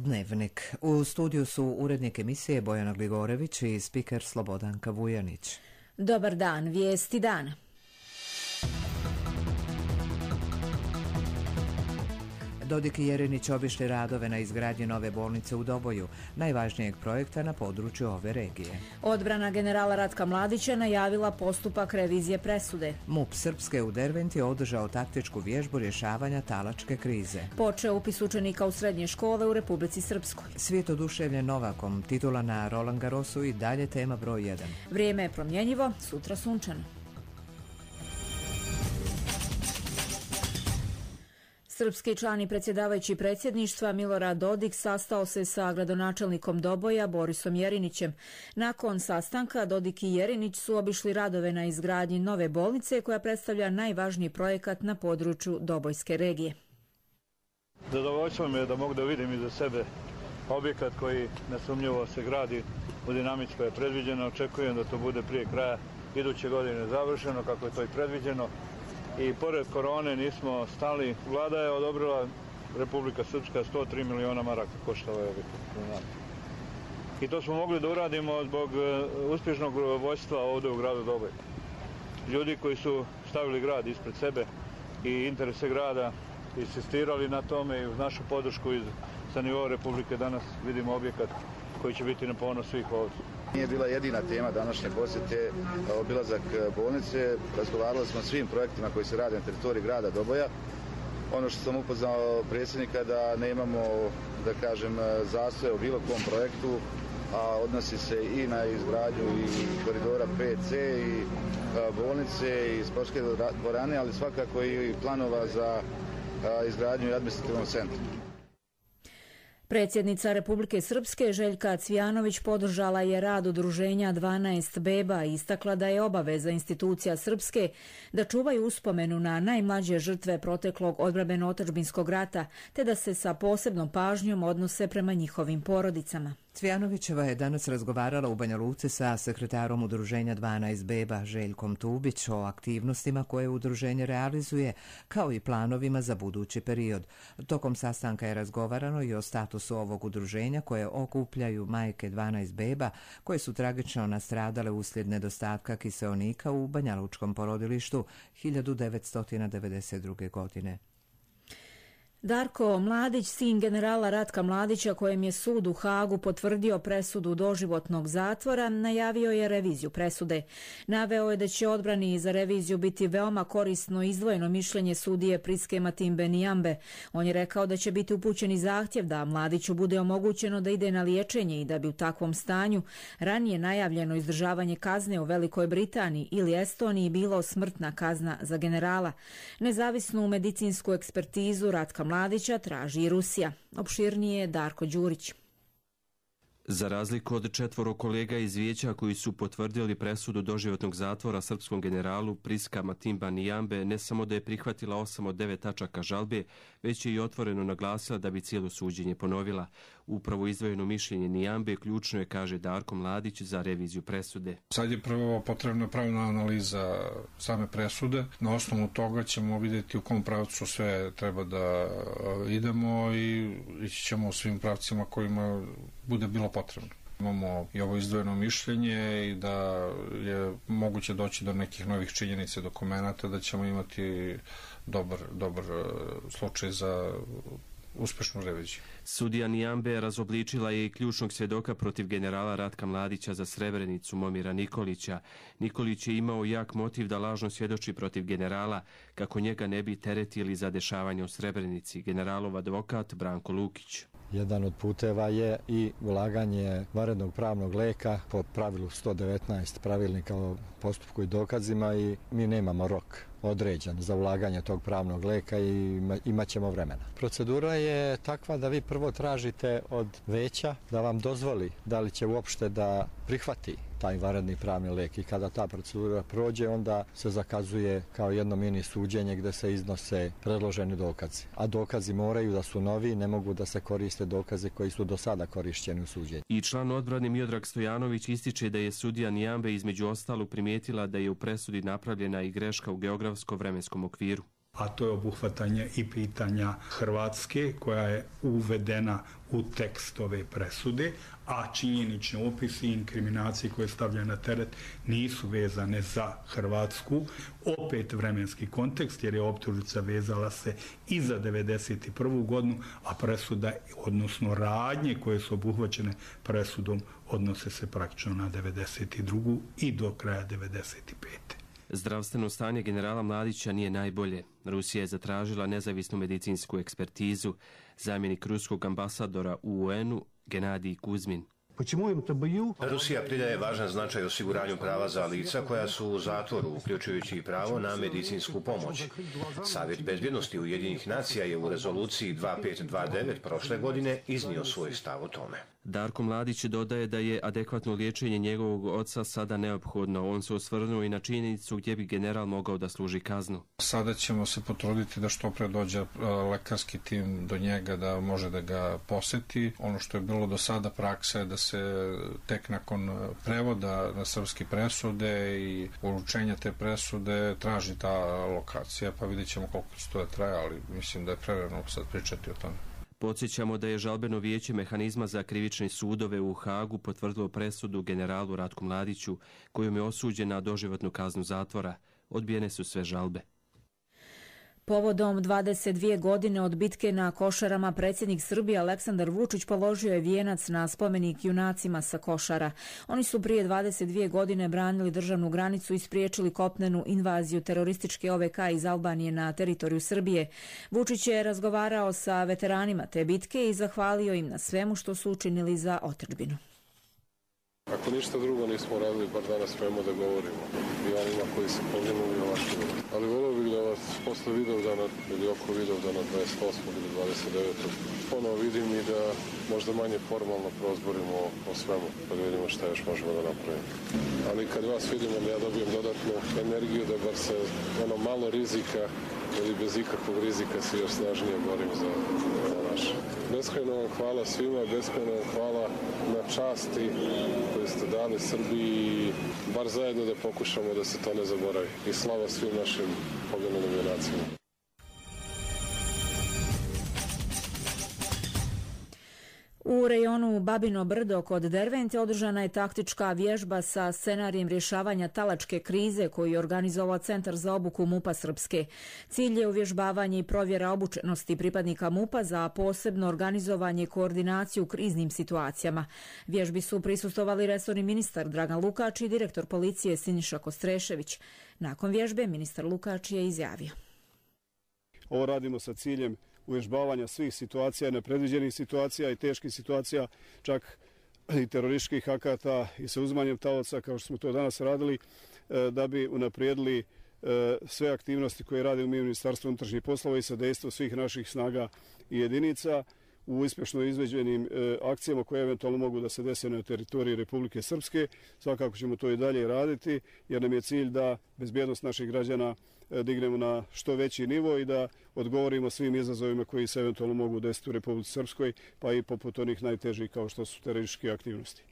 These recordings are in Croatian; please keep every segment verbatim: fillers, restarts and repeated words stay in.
Dnevnik. U studiju su urednik emisije Bojana Gligorević i spiker Slobodanka Vujanić. Dobar dan, vijesti dana. Dodik i Jerinić obišli radove na izgradnji nove bolnice u Doboju, najvažnijeg projekta na području ove regije. Odbrana generala Ratka Mladića najavila postupak revizije presude. MUP Srpske u Derventi održao taktičku vježbu rješavanja talačke krize. Počeo upis učenika u srednje škole u Republici Srpskoj. Svijet oduševljen Novakom, titula na Roland Garrosu i dalje tema broj jedan. Vrijeme je promjenjivo, sutra sunčano. Srpski član i predsjedavajući predsjedništva Milorad Dodik sastao se sa gradonačelnikom Doboja Borisom Jerinićem. Nakon sastanka Dodik i Jerinić su obišli radove na izgradnji nove bolnice koja predstavlja najvažniji projekat na području Dobojske regije. Zadovoljstvo mi je da mogu da vidim iza sebe objekat koji nesumnjivo se gradi u dinamici koja je predviđena. Očekujem da to bude prije kraja iduće godine završeno kako je to i predviđeno. I pored korone nismo stali. Vlada je odobrila, Republika Srpska, sto tri miliona maraka košta ovaj objekat. I to smo mogli da uradimo zbog uspješnog vođstva ovdje u gradu Doboj. Ljudi koji su stavili grad ispred sebe i interese grada, insistirali na tome i uz našu podršku iz, sa nivoa Republike danas vidimo objekat koji će biti na ponos svih ovdje. Nije bila jedina tema današnje posjete obilazak bolnice. Razgovarali smo o svim projektima koji se rade na teritoriji grada Doboja. Ono što sam upoznao predsjednika da nemamo, da kažem, zastoje u bilo kom projektu, a odnosi se i na izgradnju i koridora pet ce i bolnice i sportske dvorane, ali svakako i planova za izgradnju i administrativnog centra. Predsjednica Republike Srpske Željka Cvijanović podržala je rad udruženja dvanaest beba i istakla da je obaveza institucija Srpske da čuvaju uspomenu na najmlađe žrtve proteklog odbrambeno-otadžbinskog rata, te da se sa posebnom pažnjom odnose prema njihovim porodicama. Cvijanovićeva je danas razgovarala u Banja Luci sa sekretarom udruženja dvanaest beba Željkom Tubić o aktivnostima koje udruženje realizuje, kao i planovima za budući period. Tokom sastanka je razgovarano i o statusu ovog udruženja koje okupljaju majke dvanaest beba koje su tragično nastradale uslijed nedostatka kiseonika u banjalučkom porodilištu hiljadu devetsto devedeset druge. godine. Darko Mladić, sin generala Ratka Mladića, kojem je sud u Hagu potvrdio presudu doživotnog zatvora, najavio je reviziju presude. Naveo je da će odbrani za reviziju biti veoma korisno izdvojeno mišljenje sudije Priske Matimbe Nijambe. On je rekao da će biti upućeni zahtjev da Mladiću bude omogućeno da ide na liječenje i da bi u takvom stanju ranije najavljeno izdržavanje kazne u Velikoj Britaniji ili Estoniji bilo smrtna kazna za generala. Nezavisnu medicinsku ekspertizu Ratka Mladića traži i Rusija. Opširnije Darko Đurić. Za razliku od četvoro kolega iz vijeća koji su potvrdili presudu doživotnog zatvora srpskom generalu, Priska Matimba Nijambe ne samo da je prihvatila osam od devet tačaka žalbe, već je i otvoreno naglasila da bi cijelo suđenje ponovila. Upravo izdvojeno mišljenje Nijambe ključno je, kaže Darko Mladić, za reviziju presude. Sad je prvo potrebna pravna analiza same presude. Na osnovu toga ćemo vidjeti u kom pravcu sve treba da idemo i ići ćemo u svim pravcima kojima bude bilo potrebno. Imamo i ovo izdvojeno mišljenje i da je moguće doći do nekih novih činjenica i dokumenata, da ćemo imati dobar, dobar slučaj za uspešnu reviziju. Sudija Nijambe razobličila je i ključnog svjedoka protiv generala Ratka Mladića za Srebrenicu, Momira Nikolića. Nikolić je imao jak motiv da lažno svjedoči protiv generala, kako njega ne bi teretili za dešavanje u Srebrenici. Generalov advokat Branko Lukić. Jedan od puteva je i ulaganje vanrednog pravnog leka po pravilu sto devetnaest pravilnika o postupku i dokazima i mi nemamo rok određen za ulaganje tog pravnog leka i imat ćemo vremena. Procedura je takva da vi prvo tražite od veća da vam dozvoli da li će uopšte da prihvati taj vanredni pravni lek i kada ta procedura prođe, onda se zakazuje kao jedno mini suđenje gde se iznose predloženi dokazi. A dokazi moraju da su novi, ne mogu da se koriste dokaze koji su do sada korišćeni u suđenju. I član odbrane Miodrag Stojanović ističe da je sudija Nijambe između ostalog primijetila da je u presudi napravljena i greška u geografsko-vremenskom okviru. a to je obuhvatanje i pitanja Hrvatske koja je uvedena u tekst ove presude, a činjenični opisi i inkriminacije koje stavljaju na teret nisu vezane za Hrvatsku. Opet vremenski kontekst, jer je optužnica vezala se i za devedeset prvu godinu, a presuda, odnosno radnje koje su obuhvaćene presudom, odnose se praktično na devedeset drugu i do kraja devedeset pete. Zdravstveno stanje generala Mladića nije najbolje. Rusija je zatražila nezavisnu medicinsku ekspertizu. Zamjenik ruskog ambasadora u U N-u Genadij Kuzmin. Rusija pridaje važan značaj osiguranju prava za lica koja su u zatvoru, uključujući i pravo na medicinsku pomoć. Savjet bezbjednosti Ujedinjenih nacija je u rezoluciji dva pet dva devet prošle godine iznio svoj stav o tome. Darko Mladić dodaje da je adekvatno liječenje njegovog oca sada neophodno. On se osvrnuo i na činjenicu gdje bi general mogao da služi kaznu. Sada ćemo se potruditi da što pre dođe lekarski tim do njega da može da ga poseti. Ono što je bilo do sada praksa je da se tek nakon prevoda na srpske presude i uručenja te presude traži ta lokacija, pa vidjet ćemo koliko će to traje, ali mislim da je prerano sad pričati o tome. Podsjećamo da je žalbeno vijeće mehanizma za krivične sudove u Hagu potvrdilo presudu generalu Ratku Mladiću, kojom je osuđen na doživotnu kaznu zatvora. Odbijene su sve žalbe. Povodom dvadeset dvije godine od bitke na Košarama, predsjednik Srbije Aleksandar Vučić položio je vijenac na spomenik junacima sa Košara. Oni su prije dvadeset dvije godine branili državnu granicu i spriječili kopnenu invaziju terorističke O V K iz Albanije na teritoriju Srbije. Vučić je razgovarao sa veteranima te bitke i zahvalio im na svemu što su učinili za otadžbinu. Ako ništa drugo nismo radili, bar danas smemo da govorimo i onima koji se poginuli i ovakvima. Ali volio bih da vas posle Vidovdana ili oko Vidovdana dvadeset osmog ili dvadeset devetog ponovo vidim i da možda manje formalno prozborimo o svemu, pa da vidimo šta još možemo da napravimo. Ali kad vas vidimo, ja dobijem dodatnu energiju da bar se ono malo rizika ili bez ikakvog rizika se još snažnije borim za, za naše. Beskrajno vam hvala svima, beskrajno vam hvala na časti koju ste dali Srbiji, bar zajedno da pokušamo da se to ne zaboravi. I slava svim našim poginulim junacima. U rejonu Babino Brdo kod Dervente održana je taktička vježba sa scenarijem rješavanja talačke krize koju je organizovao Centar za obuku MUP-a Srpske. Cilj je uvježbavanje i provjera obučenosti pripadnika MUP-a za posebno organizovanje i koordinaciju u kriznim situacijama. Vježbi su prisustvovali resorni ministar Dragan Lukač i direktor policije Siniša Kostrešević. Nakon vježbe ministar Lukač je izjavio: Ovo radimo sa ciljem uvježbavanja svih situacija, nepredviđenih situacija i teških situacija, čak i terorističkih akata i sa uzimanjem talaca, kao što smo to danas radili, da bi unaprijedili sve aktivnosti koje radimo mi u Ministarstvu unutrašnjih poslova i sa dejstvom svih naših snaga i jedinica u uspješno izveđenim akcijama koje eventualno mogu da se dese na teritoriji Republike Srpske. Svakako ćemo to i dalje raditi, jer nam je cilj da bezbjednost naših građana dignemo na što veći nivo i da odgovorimo svim izazovima koji se eventualno mogu desiti u Republici Srpskoj, pa i poput onih najtežih kao što su terorističke aktivnosti.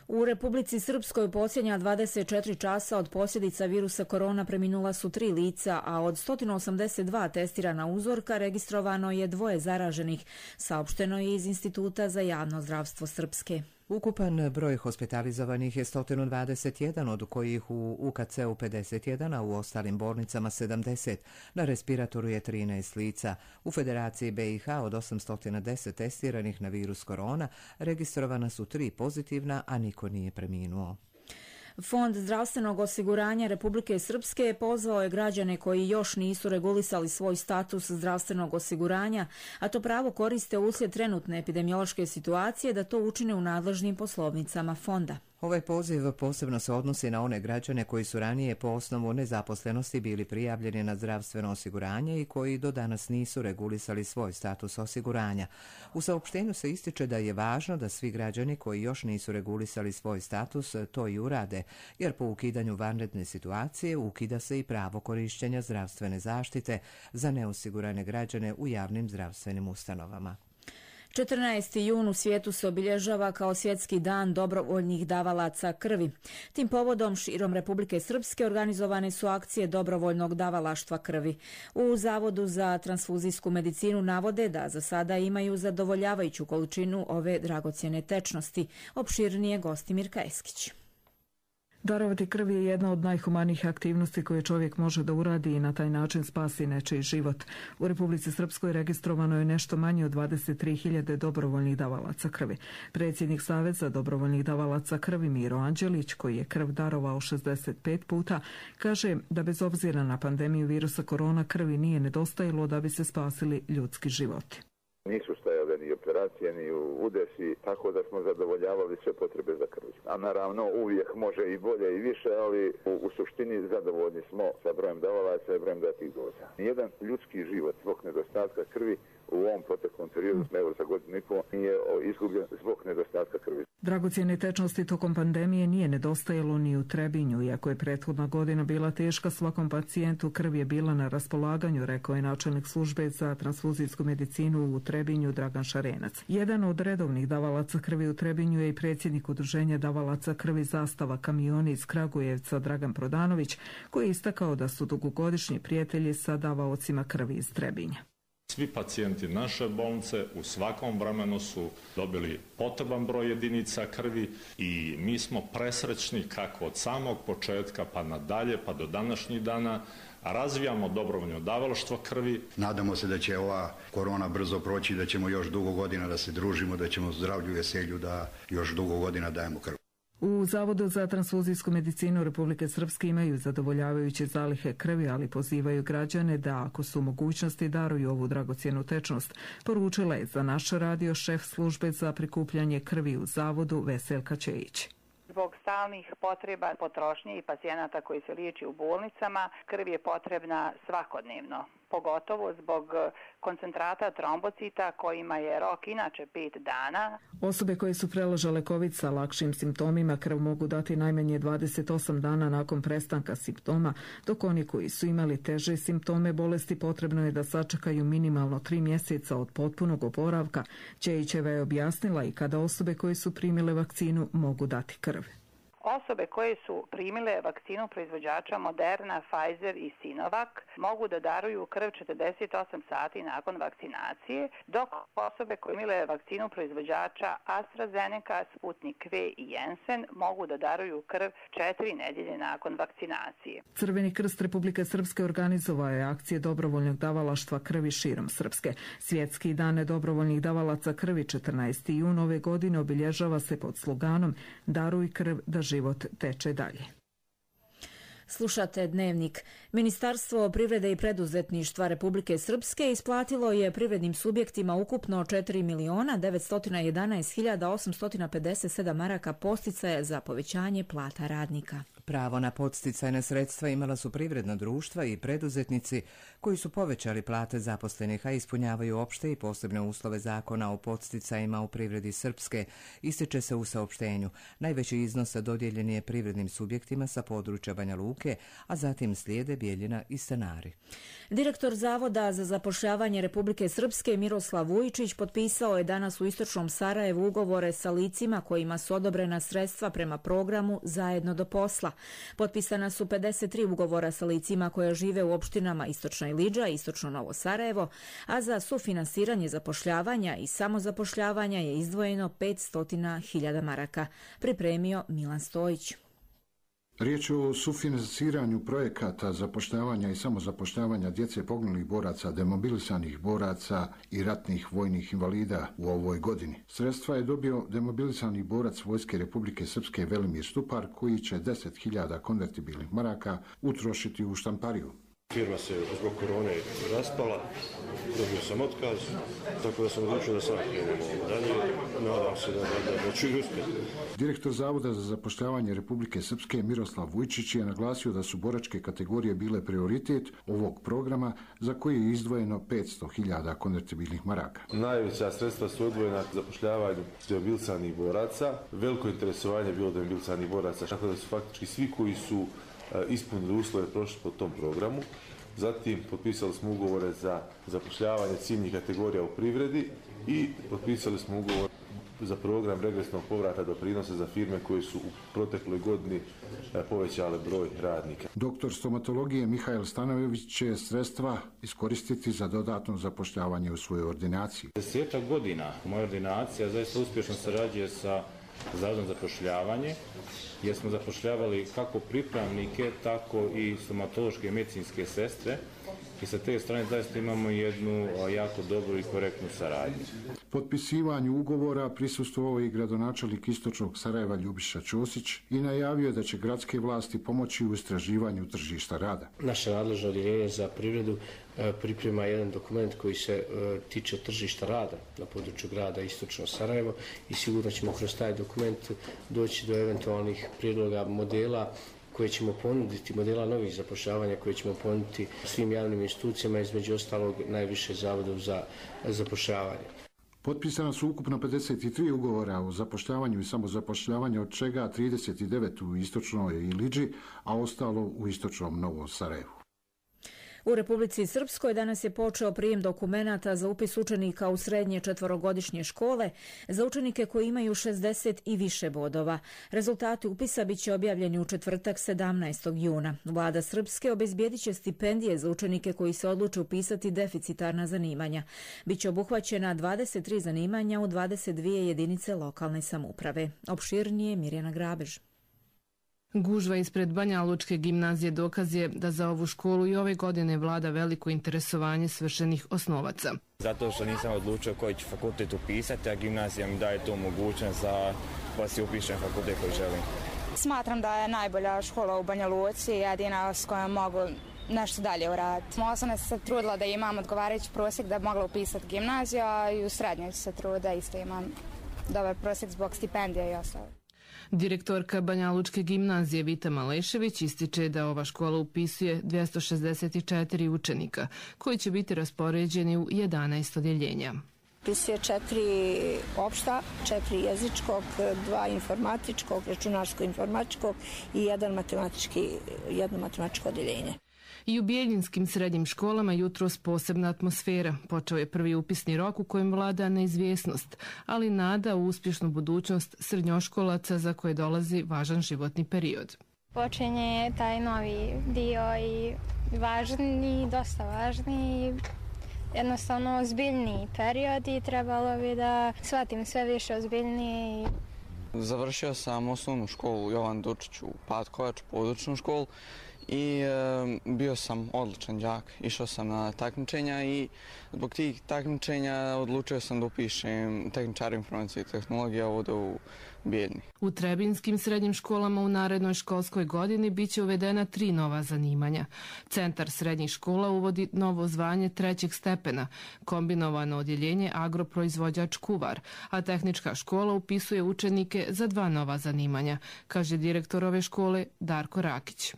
U Republici Srpskoj posljednja dvadeset četiri časa od posljedica virusa korona preminula su tri lica, a od sto osamdeset dva testirana uzorka registrovano je dvoje zaraženih, saopšteno je iz Instituta za javno zdravstvo Srpske. Ukupan broj hospitalizovanih je sto dvadeset jedan, od kojih u U K C-u pedeset jedan, a u ostalim bolnicama sedamdeset. Na respiratoru je trinaest lica. U Federaciji B i H od osamsto deset testiranih na virus korona registrovana su tri pozitivna, a niko nije preminuo. Fond zdravstvenog osiguranja Republike Srpske pozvao je građane koji još nisu regulisali svoj status zdravstvenog osiguranja, a to pravo koriste uslijed trenutne epidemiološke situacije, da to učine u nadležnim poslovnicama fonda. Ovaj poziv posebno se odnosi na one građane koji su ranije po osnovu nezaposlenosti bili prijavljeni na zdravstveno osiguranje i koji do danas nisu regulisali svoj status osiguranja. U saopštenju se ističe da je važno da svi građani koji još nisu regulisali svoj status to i urade, jer po ukidanju vanredne situacije ukida se i pravo korištenja zdravstvene zaštite za neosigurane građane u javnim zdravstvenim ustanovama. četrnaesti jun u svijetu se obilježava kao svjetski dan dobrovoljnih davalaca krvi. Tim povodom širom Republike Srpske organizovane su akcije dobrovoljnog davalaštva krvi. U Zavodu za transfuzijsku medicinu navode da za sada imaju zadovoljavajuću količinu ove dragocjene tečnosti. Opširnije gosti Mirka Eskić. Darovati krv je jedna od najhumanijih aktivnosti koje čovjek može da uradi i na taj način spasi nečiji život. U Republici Srpskoj registrovano je nešto manje od dvadeset tri hiljade dobrovoljnih davalaca krvi. Predsjednik Saveza dobrovoljnih davalaca krvi Miro Anđelić, koji je krv darovao šezdeset pet puta, kaže da bez obzira na pandemiju virusa korona krvi nije nedostajalo da bi se spasili ljudski životi. Nisu stajale ni operacije, ni udesi, tako da smo zadovoljavali sve potrebe za krv. A naravno uvijek može i bolje i više, ali u, u suštini zadovoljni smo sa brojem davalaca i brojem datih doza. Nijedan ljudski život zbog nedostatka krvi u ovom proteklom periodu, evo za godinu i pol, nije izgubljen zbog nedostatka krvi. Dragocjene tečnosti tokom pandemije nije nedostajalo ni u Trebinju, iako je prethodna godina bila teška, svakom pacijentu krv je bila na raspolaganju, rekao je načelnik službe za transfuzijsku medicinu u Trebinju Dragan Šarenac. Jedan od redovnih davalaca krvi u Trebinju je i predsjednik udruženja davalaca krvi Zastava kamioni iz Kragujevca Dragan Prodanović, koji je istakao da su dugogodišnji prijatelji sa davaocima krvi iz Trebinja. Svi pacijenti naše bolnice u svakom vremenu su dobili potreban broj jedinica krvi i mi smo presrećni kako od samog početka pa nadalje pa do današnjih dana razvijamo dobrovoljno davalaštvo krvi. Nadamo se da će ova korona brzo proći, da ćemo još dugo godina da se družimo, da ćemo zdravlju i veselju da još dugo godina dajemo krv. U Zavodu za transfuzijsku medicinu Republike Srpske imaju zadovoljavajuće zalihe krvi, ali pozivaju građane da, ako su mogućnosti, daruju ovu dragocjenu tečnost. Poručila je za naš radio šef službe za prikupljanje krvi u Zavodu Veselka Čejić. Zbog stalnih potreba potrošnje i pacijenata koji se liječi u bolnicama, krv je potrebna svakodnevno, pogotovo zbog koncentrata trombocita kojima je rok inače pet dana. Osobe koje su preležale COVID sa lakšim simptomima krv mogu dati najmanje dvadeset osam dana nakon prestanka simptoma, dok oni koji su imali teže simptome bolesti potrebno je da sačekaju minimalno tri mjeseca od potpunog oporavka. Čejićeva je objasnila i kada osobe koje su primile vakcinu mogu dati krv. Osobe koje su primile vakcinu proizvođača Moderna, Pfizer i Sinovac mogu da daruju krv četrdeset osam sati nakon vakcinacije, dok osobe koje imile vakcinu proizvođača AstraZeneca, Sputnik V i Janssen mogu da daruju krv četiri nedjelje nakon vakcinacije. Crveni krst Republike Srpske organizovao je akcije dobrovoljnog davalaštva krvi širom Srpske. Svjetski dan dobrovoljnih davalaca krvi četrnaesti jun ove godine obilježava se pod sloganom Daruj krv da život teče dalje. Slušate Dnevnik. Ministarstvo privrede i preduzetništva Republike Srpske isplatilo je privrednim subjektima ukupno četiri miliona devetsto jedanaest hiljada osamsto pedeset sedam maraka podsticaja za povećanje plata radnika. Pravo na podsticajna sredstva imala su privredna društva i preduzetnici koji su povećali plate zaposlenih, a ispunjavaju opšte i posebne uslove zakona o podsticajima u privredi Srpske, ističe se u saopštenju. Najveći iznos dodijeljen je privrednim subjektima sa područja Banja Luke, a zatim slijede Bijeljina i Stanari. Direktor Zavoda za zapošljavanje Republike Srpske Miroslav Vujičić potpisao je danas u istočnom Sarajevu ugovore sa licima kojima su odobrena sredstva prema programu Zajedno do posla. Potpisana su pedeset tri ugovora sa licima koja žive u opštinama Istočna Ilidža i Istočno Novo Sarajevo, a za sufinansiranje zapošljavanja i samozapošljavanja je izdvojeno petsto hiljada maraka. Pripremio Milan Stojić. Riječ je o sufinansiranju projekata zapošljavanja i samozapošljavanja djece poginulih boraca, demobilisanih boraca i ratnih vojnih invalida u ovoj godini. Sredstva je dobio demobilisani borac Vojske Republike Srpske Velimir Stupar, koji će deset hiljada konvertibilnih maraka utrošiti u štampariju. Firma se zbog korone raspala, dobio sam otkaz, tako da sam odlučio da sam krenuo dalje. Nadam se da, da, da ću uspjeti. Direktor Zavoda za zapošljavanje Republike Srpske Miroslav Vujčić je naglasio da su boračke kategorije bile prioritet ovog programa za koji je izdvojeno petsto hiljada konvertibilnih maraka. Najveća sredstva su odvojena za zapošljavanje demobilisanih boraca. Veliko interesovanje je bilo demobilisanih boraca, tako da su faktički svi koji su ispunili uslove prošli po tom programu. Zatim potpisali smo ugovore za zapošljavanje ciljnih kategorija u privredi i potpisali smo ugovor za program regresnog povrata doprinosa za firme koje su u protekloj godini povećale broj radnika. Doktor stomatologije Mihael Stanojević će sredstva iskoristiti za dodatno zapošljavanje u svojoj ordinaciji. Desetak godina moja ordinacija zaista uspješno sarađuje sa Zavodom za zapošljavanje, jer smo zapošljavali kako pripravnike, tako i stomatološke i medicinske sestre i sa te strane zaista imamo jednu jako dobru i korektnu saradnju. Potpisivanju ugovora prisustvovao i gradonačelnik Istočnog Sarajeva Ljubiša Ćosić i najavio da će gradske vlasti pomoći u istraživanju tržišta rada. Naše nadležno odjeljenje za privredu priprema jedan dokument koji se tiče tržišta rada na području grada Istočno Sarajevo i sigurno ćemo kroz taj dokument doći do eventualnih prijedloga modela koje ćemo ponuditi, modela novih zapošljavanja koje ćemo ponuditi svim javnim institucijama, između ostalog najviše Zavodom za zapošljavanje. Potpisana su ukupno pedeset tri ugovora o zapošljavanju i samozapošljavanju, od čega trideset devet u Istočnoj Ilidži, a ostalo u Istočnom Novom Sarajevu. U Republici Srpskoj danas je počeo prijem dokumenata za upis učenika u srednje četvorogodišnje škole za učenike koji imaju šezdeset i više bodova. Rezultati upisa biće objavljeni u četvrtak sedamnaestog juna. Vlada Srpske obezbijedit će stipendije za učenike koji se odluče upisati deficitarna zanimanja. Biće obuhvaćena dvadeset tri zanimanja u dvadeset dvije jedinice lokalne samouprave. Opširnije Mirjana Grabež. Gužva ispred Banja Lučke gimnazije dokaz je da za ovu školu i ove godine vlada veliko interesovanje svršenih osnovaca. Zato što nisam odlučio koji ću fakultet upisati, a gimnazija mi daje tu mogućnost da pa si upišem fakultet koji želim. Smatram da je najbolja škola u Banja Luci, jedina s kojom mogu nešto dalje uraditi. Malo sam se trudila da imam odgovarajući prosjek da bi mogla upisati gimnaziju, a i u srednjoj se truda isto imam dobar prosjek zbog stipendija i ostalo. Direktorka Banja Lučke gimnazije Vita Malešević ističe da ova škola upisuje dvjesto šezdeset četiri učenika, koji će biti raspoređeni u jedanaest odjeljenja. Upisuje četiri opšta, četiri jezičkog, dva informatičkog, računarsko-informatičkog i jedan matematički, jedno matematičko odjeljenje. I u bijeljinskim srednjim školama jutros posebna atmosfera. Počeo je prvi upisni rok u kojem vlada neizvjesnost, ali nada u uspješnu budućnost srednjoškolaca za koje dolazi važan životni period. Počinje taj novi dio i važni, dosta važni, jednostavno ozbiljniji period i trebalo bi da shvatim sve više ozbiljnije. Završio sam osnovnu školu Jovan Dučić u Patkovač, područnu školu. I e, bio sam odličan đak, išao sam na takmičenja i zbog tih takmičenja odlučio sam da upišem tehničar informacije i tehnologija ovdje u Bijeljni. U Trebinskim srednjim školama u narednoj školskoj godini biće uvedena tri nova zanimanja. Centar srednjih škola uvodi novo zvanje trećeg stepena, kombinovano odjeljenje agroproizvođač kuvar, a tehnička škola upisuje učenike za dva nova zanimanja, kaže direktor ove škole Darko Rakić.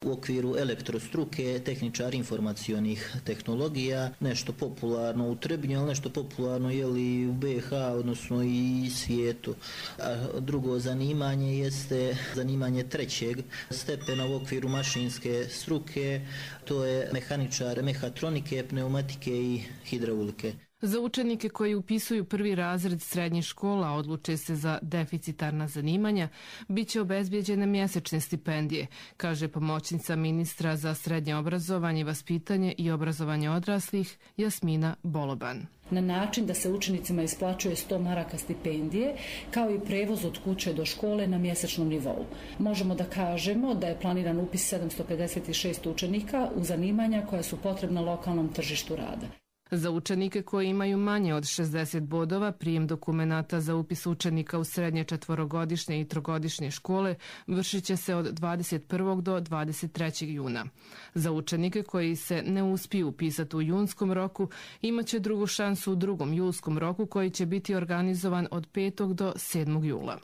U okviru elektrostruke, tehničar informacionih tehnologija, nešto popularno u Trebinju, ali nešto popularno je li u be ha, odnosno i svijetu. A drugo zanimanje jeste zanimanje trećeg stepena u okviru mašinske struke, to je mehaničar mehatronike, pneumatike i hidraulike. Za učenike koji upisuju prvi razred srednjih škola, odluče se za deficitarna zanimanja, bit će obezbijeđene mjesečne stipendije, kaže pomoćnica ministra za srednje obrazovanje, vaspitanje i obrazovanje odraslih Jasmina Boloban. Na način da se učenicima isplaćuje sto maraka stipendije, kao i prevoz od kuće do škole na mjesečnom nivou. Možemo da kažemo da je planiran upis sedamsto pedeset šest učenika u zanimanja koja su potrebna lokalnom tržištu rada. Za učenike koji imaju manje od šezdeset bodova, prijem dokumenata za upis učenika u srednje četvorogodišnje i trogodišnje škole vršit će se od dvadeset prvog do dvadeset trećeg juna. Za učenike koji se ne uspiju upisati u junskom roku, imat će drugu šansu u drugom julskom roku koji će biti organizovan od petog do sedmog jula.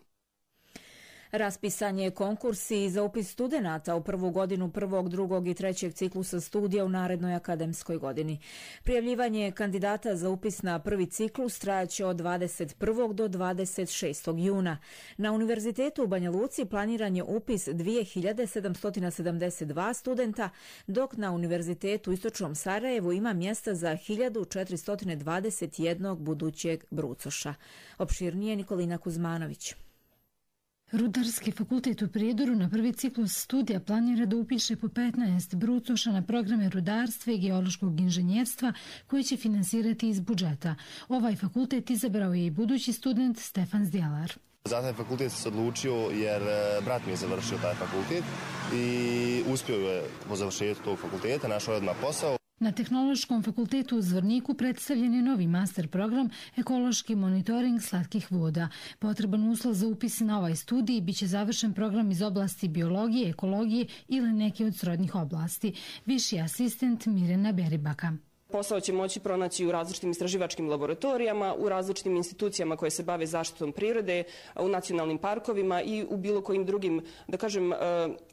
Raspisan je konkurs i za upis studenata u prvu godinu prvog, drugog i trećeg ciklusa studija u narednoj akademskoj godini. Prijavljivanje kandidata za upis na prvi ciklus trajaće od dvadeset prvog do dvadeset šestog juna. Na Univerzitetu u Banja Luci planiran je upis dvije hiljade sedamsto sedamdeset dva studenta, dok na Univerzitetu u Istočnom Sarajevu ima mjesta za hiljadu četiristo dvadeset jedan budućeg brucoša. Opširnije Nikolina Kuzmanović. Rudarski fakultet u Prijedoru na prvi ciklus studija planira da upiše po petnaest brucoša na programe rudarstva i geološkog inženjerstva koje će finansirati iz budžeta. Ovaj fakultet izabrao je i budući student Stefan Zdjelar. Za taj fakultet sam se odlučio jer brat mi je završio taj fakultet i uspio je po završetku tog fakulteta, našao je odmah posao. Na Tehnološkom fakultetu u Zvorniku predstavljen je novi master program ekološki monitoring slatkih voda. Potreban uslov za upis na ovaj studij biće završen program iz oblasti biologije, ekologije ili neke od srodnih oblasti. Viši asistent Mirjana Beribaka. Posao će moći pronaći u različitim istraživačkim laboratorijama, u različitim institucijama koje se bave zaštitom prirode, u nacionalnim parkovima i u bilo kojim drugim, da kažem,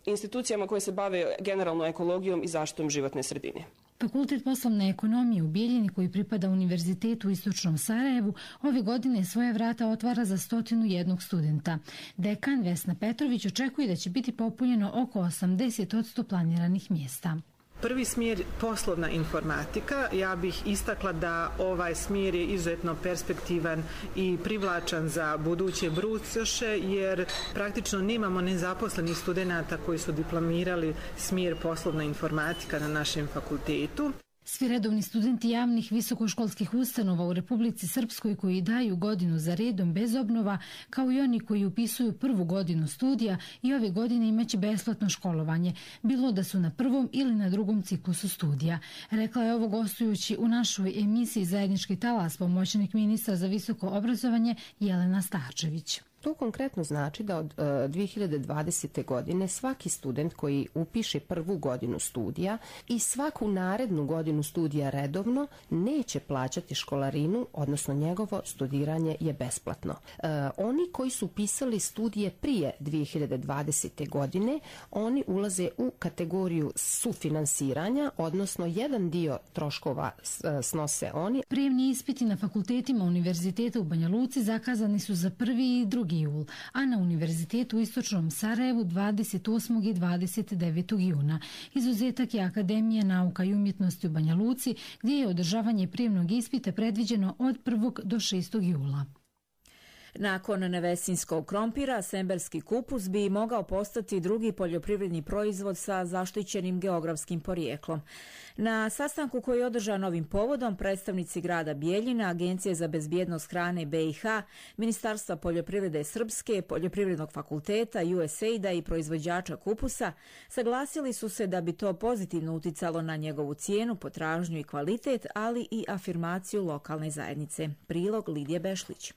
institucijama koje se bave generalno ekologijom i zaštitom životne sredine. Fakultet poslovne ekonomije u Bijeljini, koji pripada Univerzitetu u Istočnom Sarajevu, ove godine svoje vrata otvara za stotinu jednog studenta. Dekan Vesna Petrović očekuje da će biti popunjeno oko osamdeset posto planiranih mjesta. Prvi smjer poslovna informatika. Ja bih istakla da ovaj smjer je izuzetno perspektivan i privlačan za buduće brucoše, jer praktično nemamo nezaposlenih studenata koji su diplomirali smjer poslovna informatika na našem fakultetu. Svi redovni studenti javnih visokoškolskih ustanova u Republici Srpskoj koji daju godinu za redom bez obnova, kao i oni koji upisuju prvu godinu studija, i ove godine imaće besplatno školovanje, bilo da su na prvom ili na drugom ciklusu studija. Rekla je ovo gostujući u našoj emisiji Zajednički talas pomoćnik ministra za visoko obrazovanje Jelena Starčević. To konkretno znači da od uh, dvije hiljade dvadesete. godine svaki student koji upiše prvu godinu studija i svaku narednu godinu studija redovno neće plaćati školarinu, odnosno njegovo studiranje je besplatno. Uh, oni koji su upisali studije prije dvije hiljade dvadesete. godine, oni ulaze u kategoriju sufinansiranja, odnosno jedan dio troškova snose oni. Prijemni ispiti na fakultetima Univerziteta u Banja Luci zakazani su za prvi i drugi jul, a na Univerzitetu u Istočnom Sarajevu dvadeset osmog i dvadeset devetog juna. Izuzetak je Akademija nauka i umjetnosti u Banja Luci, gdje je održavanje prijemnog ispita predviđeno od prvog do šestog jula. Nakon nevesinskog krompira, semberski kupus bi mogao postati drugi poljoprivredni proizvod sa zaštićenim geografskim porijeklom. Na sastanku koji je održan ovim povodom, predstavnici grada Bijeljina, Agencije za bezbjednost hrane B i H, Ministarstva poljoprivrede Srpske, Poljoprivrednog fakulteta, U S A I D-a i proizvođača kupusa saglasili su se da bi to pozitivno uticalo na njegovu cijenu, potražnju i kvalitet, ali i afirmaciju lokalne zajednice. Prilog Lidije Bešlić.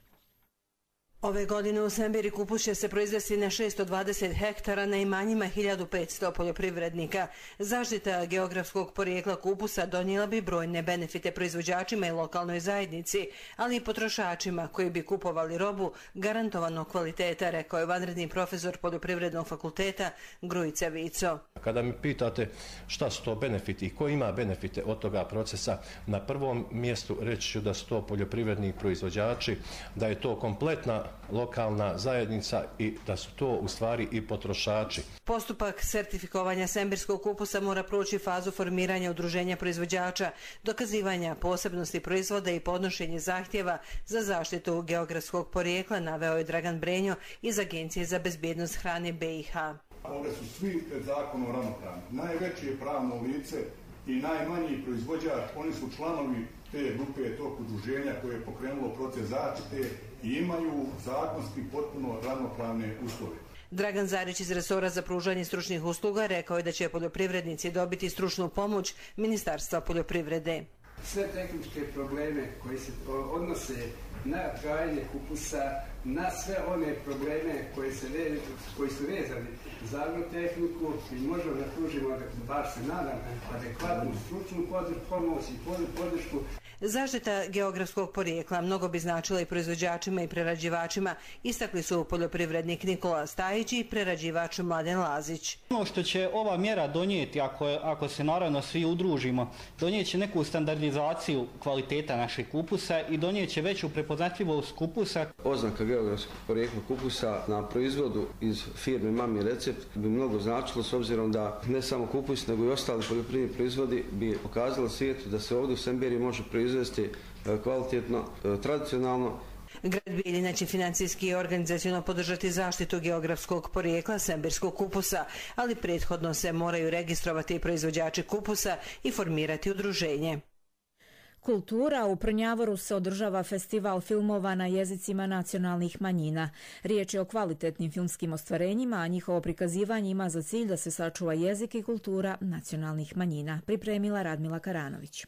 Ove godine u Semberi kupus će se proizvesti na šesto dvadeset hektara na imanjima hiljadu petsto poljoprivrednika. Zaštita geografskog porijekla kupusa donijela bi brojne benefite proizvođačima i lokalnoj zajednici, ali i potrošačima koji bi kupovali robu garantovanog kvaliteta, rekao je vanredni profesor Poljoprivrednog fakulteta Grujica Vico. Kada mi pitate šta su to benefiti i ko ima benefite od toga procesa, na prvom mjestu reći ću da su to poljoprivredni proizvođači, da je to kompletna lokalna zajednica i da su to u stvari i potrošači. Postupak sertifikovanja semberskog kupusa mora proći fazu formiranja udruženja proizvođača, dokazivanja posebnosti proizvoda i podnošenje zahtjeva za zaštitu geografskog porijekla, naveo je Dragan Brenjo iz Agencije za bezbjednost hrane B i H. Ovdje su svi pred zakonom ravnopravni. Najveće je pravno lice i najmanji proizvođač, oni su članovi te grupe, tog udruženja koje je pokrenulo proces zaštite i imaju zakonski potpuno ravnopravne uslove. Dragan Zarić iz resora za pružanje stručnih usluga rekao je da će poljoprivrednici dobiti stručnu pomoć Ministarstva poljoprivrede. Sve tehničke probleme koji se odnose na gajanje kupusa, na sve one probleme koji, se ve, koji su vezani za agrotehniku i možemo da pružimo, bar se nadam, adekvatnu stručnu pomoć i podršku. Zaštita geografskog porijekla mnogo bi značila i proizvođačima i prerađivačima, istakli su poljoprivrednik Nikola Stajić i prerađivač Mladen Lazić. Ono što će ova mjera donijeti, ako, ako se naravno svi udružimo, donijeće neku standardizaciju kvaliteta našeg kupusa i donijeće veću prepoznatljivost kupusa. Oznaka geografskog porijekla kupusa na proizvodu iz firme Mami Recept bi mnogo značilo, s obzirom da ne samo kupus nego i ostali poljoprivredni proizvodi bi pokazalo svijetu da se ovdje u Semberiji može proizvesti kvalitetno, tradicionalno. Grad Bijeljina će financijski i organizaciono podržati zaštitu geografskog porijekla semberskog kupusa, ali prethodno se moraju registrovati proizvođači kupusa i formirati udruženje. Kultura. U Prnjavoru se održava festival filmova na jezicima nacionalnih manjina. Riječ je o kvalitetnim filmskim ostvarenjima, a njihovo prikazivanje ima za cilj da se sačuva jezik i kultura nacionalnih manjina. Pripremila Radmila Karanović.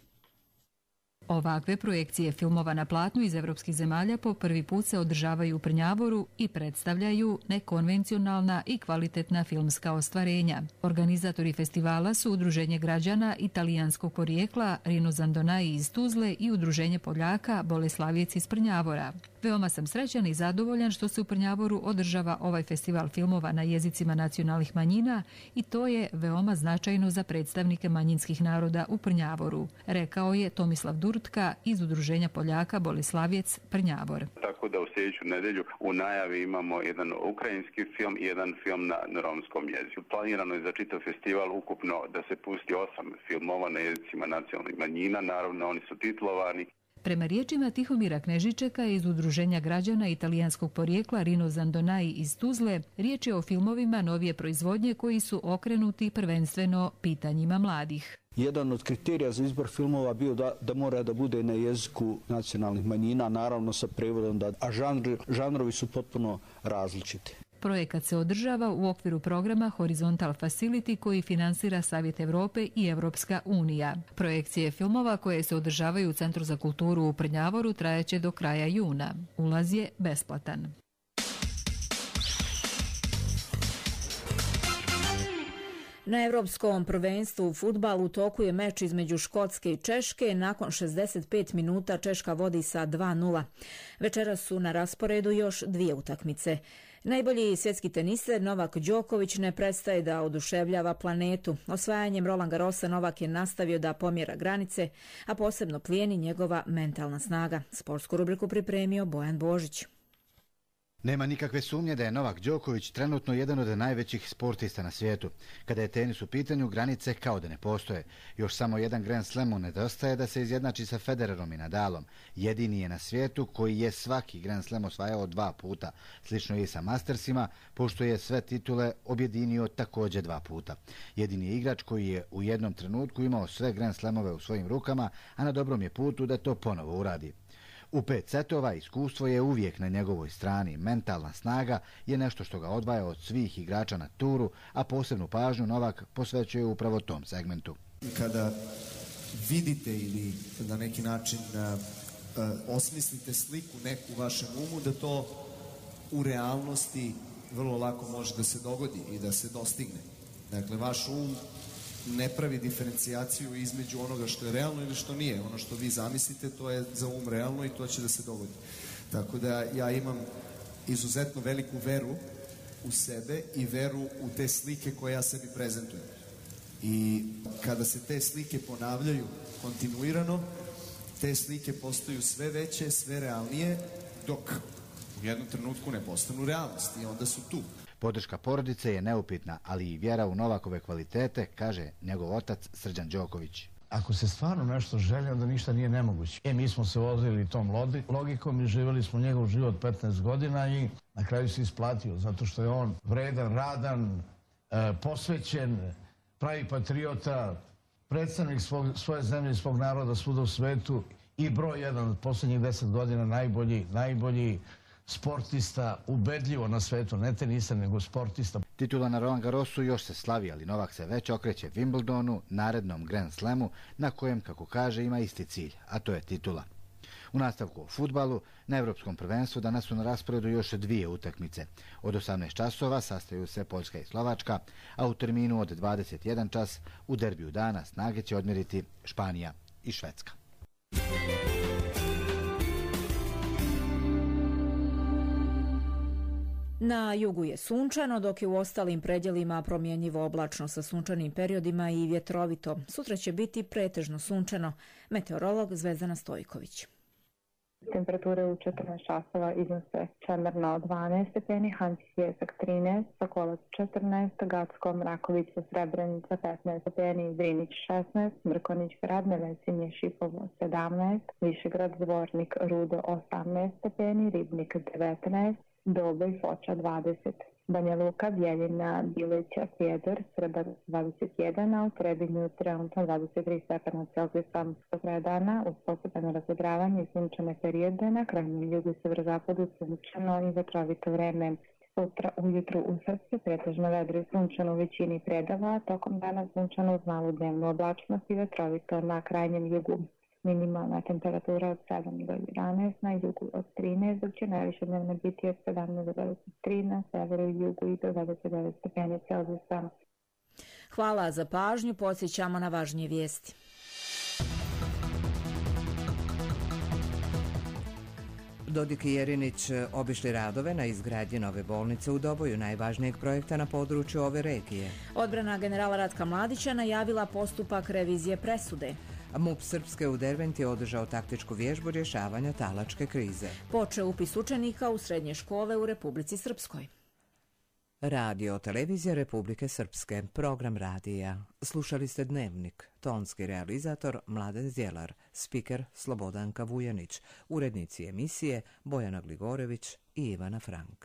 Ovakve projekcije filmova na platnu iz evropskih zemalja po prvi put se održavaju u Prnjavoru i predstavljaju nekonvencionalna i kvalitetna filmska ostvarenja. Organizatori festivala su Udruženje građana italijanskog porijekla Rino Zandonai iz Tuzle i Udruženje Poljaka Boleslavijec iz Prnjavora. Veoma sam srećan i zadovoljan što se u Prnjavoru održava ovaj festival filmova na jezicima nacionalnih manjina i to je veoma značajno za predstavnike manjinskih naroda u Prnjavoru, rekao je Tomislav Durtka iz Udruženja Poljaka Boleslavijec Prnjavor. Tako da u sljedeću nedelju u najavi imamo jedan ukrajinski film i jedan film na, na romskom jeziku. Planirano je za čitav festival ukupno da se pusti osam filmova na jezicima nacionalnih manjina, naravno oni su titlovani. Prema riječima Tihomira Knežičeka iz Udruženja građana italijanskog porijekla Rino Zandonai iz Tuzle, riječ je o filmovima novije proizvodnje koji su okrenuti prvenstveno pitanjima mladih. Jedan od kriterija za izbor filmova bio da, da mora da bude na jeziku nacionalnih manjina, naravno sa prevodom, da, a žanr, žanrovi su potpuno različiti. Projekat se održava u okviru programa Horizontal Facility koji finansira Savjet Evrope i Evropska unija. Projekcije filmova koje se održavaju u Centru za kulturu u Prnjavoru trajaće do kraja juna. Ulaz je besplatan. Na Evropskom prvenstvu u fudbalu u toku je meč između Škotske i Češke. Nakon šezdeset pet minuta Češka vodi sa dva nula. Večeras su na rasporedu još dvije utakmice. Najbolji svjetski teniser Novak Đoković ne prestaje da oduševljava planetu. Osvajanjem Roland Garrosa Novak je nastavio da pomjera granice, a posebno plijeni njegova mentalna snaga. Sportsku rubriku pripremio Bojan Božić. Nema nikakve sumnje da je Novak Đoković trenutno jedan od najvećih sportista na svijetu. Kada je tenis u pitanju, granice kao da ne postoje. Još samo jedan Grand Slamu nedostaje da se izjednači sa Federerom i Nadalom. Jedini je na svijetu koji je svaki Grand Slam osvajao dva puta. Slično je i sa Mastersima, pošto je sve titule objedinio također dva puta. Jedini je igrač koji je u jednom trenutku imao sve Grand Slamove u svojim rukama, a na dobrom je putu da to ponovo uradi. U pet setova iskustvo je uvijek na njegovoj strani. Mentalna snaga je nešto što ga odvaja od svih igrača na turu, a posebnu pažnju Novak posvećuje upravo tom segmentu. Kada vidite ili na neki način uh, uh, osmislite sliku neku u vašem umu, da to u realnosti vrlo lako može da se dogodi i da se dostigne. Dakle, vaš um ne pravi diferencijaciju između onoga što je realno ili što nije. Ono što vi zamislite, to je za um realno i to će da se dogodi. Tako da ja imam izuzetno veliku veru u sebe i veru u te slike koje ja sebi prezentujem. I kada se te slike ponavljaju kontinuirano, te slike postaju sve veće, sve realnije, dok u jednom trenutku ne postanu realnost i onda su tu. Podrška porodice je neupitna, ali i vjera u Novakove kvalitete, kaže njegov otac Srđan Đoković. Ako se stvarno nešto želi, onda ništa nije nemoguće. E, mi smo se vozili tom logikom i živjeli smo njegov život petnaest godina i na kraju se isplatio, zato što je on vredan, radan, e, posvećen, pravi patriota, predstavnik svog, svoje zemlje i svog naroda svuda u svetu i broj jedan od posljednjih deset godina najbolji, najbolji sportista, ubedljivo na svetu, ne teniser, nego sportista. Titula na Roland Garrosu još se slavi, ali Novak se već okreće Wimbledonu, narednom Grand Slamu, na kojem, kako kaže, ima isti cilj, a to je titula. U nastavku o fudbalu, na Evropskom prvenstvu danas su na rasporedu još dvije utakmice. Od osamnaest časova sastaju se Poljska i Slovačka, a u terminu od dvadeset jedan čas u derbiju dana snage će odmjeriti Španija i Švedska. Na jugu je sunčano, dok je u ostalim predjelima promjenjivo oblačno sa sunčanim periodima i vjetrovito. Sutra će biti pretežno sunčano. Meteorolog Zvezdana Stojković. Temperature u četrnaest časova iznose Čemerna dvanaest stepeni, Hanci Sjesak trinaest, Sokolac četrnaest, Gacko, Mrakovica, Srebrenica petnaest stepeni, Drinić šesnaest, Mrkonić grad, Nevesinje, Šipovo sedamnaest, Višegrad, Zvornik, Rudo osamnaest stepeni, Ribnik devetnaest, Doboj, Foča dvadeset. Banja Luka, Bjeljina, Bilića, Sjedor, Srbar dvadeset jedan, a u Trebinju trenutno dvadeset tri stepena Celzijusa. Do kraja dana uz postepeno razvedravanje i sunčane periode na krajnjem jugu i severozapadu sunčano i vetrovito vreme. Sutra ujutru u Srpske pretežno vedro i sunčano u većini predava, tokom dana sunčano uz malu dnevnu oblačnost i vetrovito na krajnjem jugu. Minimalna temperatura od sedam do jedanaest, na jugu od trinaest, dok će najviše dnevno biti od sedamnaest do dvadeset tri, na severu i jugu i do dvadeset devet stepeni Celzijusa. Hvala za pažnju, podsjećamo na važnije vijesti. Dodik i Jerinić obišli radove na izgradnji nove bolnice u Doboju, najvažnijeg projekta na području ove regije. Odbrana generala Ratka Mladića najavila postupak revizije presude. MUP Srpske u Derventi je održao taktičku vježbu rješavanja talačke krize. Počeo upis učenika u srednje škole u Republici Srpskoj. Radio televizija Republike Srpske, program radija. Slušali ste Dnevnik, tonski realizator Mladen Zjelar, spiker Slobodanka Vujanić, urednici emisije Bojana Gligorević i Ivana Frank.